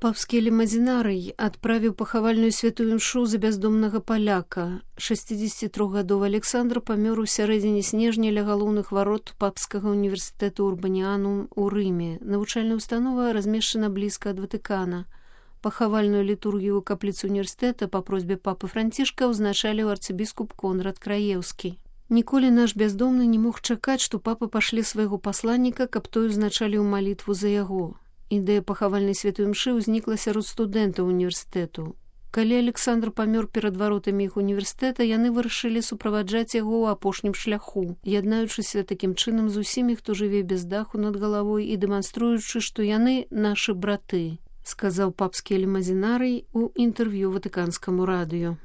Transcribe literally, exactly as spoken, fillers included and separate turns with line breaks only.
Папскі лімазінарый адправіў пахавальную святую імшу за бяздомнага паляка. шэсцідзесяцітрохгадовы Александр памёр у сярэдзіне снежня ля галоўных варот папскага універсітэту Урбаніанум у Рыме. Навучальная установа размешчана блізка ад Ватыкана. Пахавальную літургію ў капліцы універсітэта па просьбе папы Францішка ўзначаліў арцыбіскуп Конрад Краеўскі. Ніколі наш бяздомны не мог чакаць, што папа пашле свайго пасланніка, каб той узначаліў малітву за яго. Ідэя пахавальнай святой імшы ўзнікла сярод студэнтаў універсітэту. Калі Александр памёр перад варотамі іх універсітэта, яны вырашылі суправаджаць яго ў апошнім шляху, яднаючыся такім чынам з усімі, хто жыве без даху над галавой і дэманструючы, што яны нашы браты, сказаў папскі лімазінарый у інтэрв'ю ватыканскаму радыё.